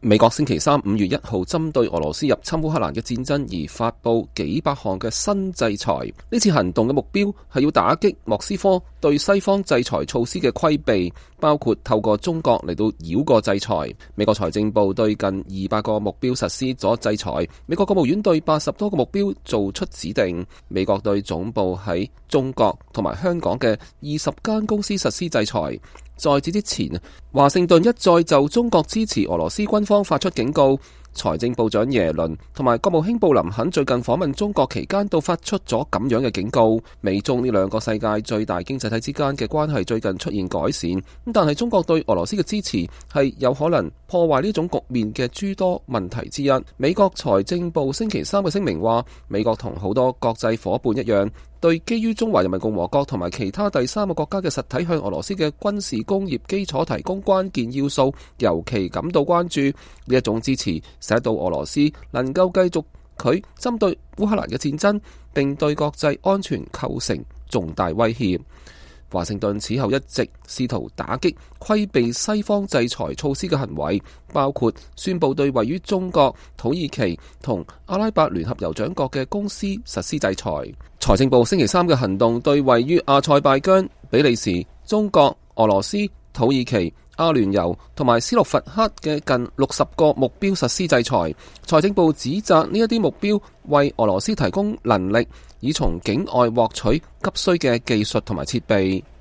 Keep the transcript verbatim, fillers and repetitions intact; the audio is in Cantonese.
美國星期三五月一號針對俄羅斯入侵烏克蘭嘅戰爭而發布幾百項嘅新制裁。呢次行動嘅目標係要打擊莫斯科對西方制裁措施嘅規避，包括透過中國嚟到繞過制裁。美國財政部對近二百個目標實施咗制裁，美國國務院對八十多個目標做出指定。美國對總部喺中國同埋香港嘅二十間公司實施制裁。在此之前，華盛頓一再就中國支持俄羅斯軍方發出警告。財政部長耶倫同埋國務卿布林肯最近訪問中國期間都發出咗咁樣嘅警告。美中呢兩個世界最大經濟體之間嘅關係最近出現改善，但係中國對俄羅斯嘅支持係有可能破壞呢種局面嘅諸多問題之一。美國財政部星期三嘅聲明話，美國同好多國際夥伴一樣，對基於中華人民共和國同埋其他第三個國家嘅實體向俄羅斯嘅軍事工業基礎提供關鍵要素，尤其感到關注。呢一種支持使到俄羅斯能夠繼續佢針對烏克蘭嘅戰爭，並對國際安全構成重大威脅。華盛頓此後一直試圖打擊規避西方制裁措施嘅行為，包括宣布對位於中國、土耳其同阿拉伯聯合酋長國嘅公司實施制裁。財政部星期三嘅行動對位於阿塞拜疆、比利時、中國、俄羅斯、土耳其、阿聯酋同埋斯洛伐克嘅近六十個目標實施制裁。財政部指責呢一啲目標為俄羅斯提供能力，以從境外獲取急需嘅技術同埋設備。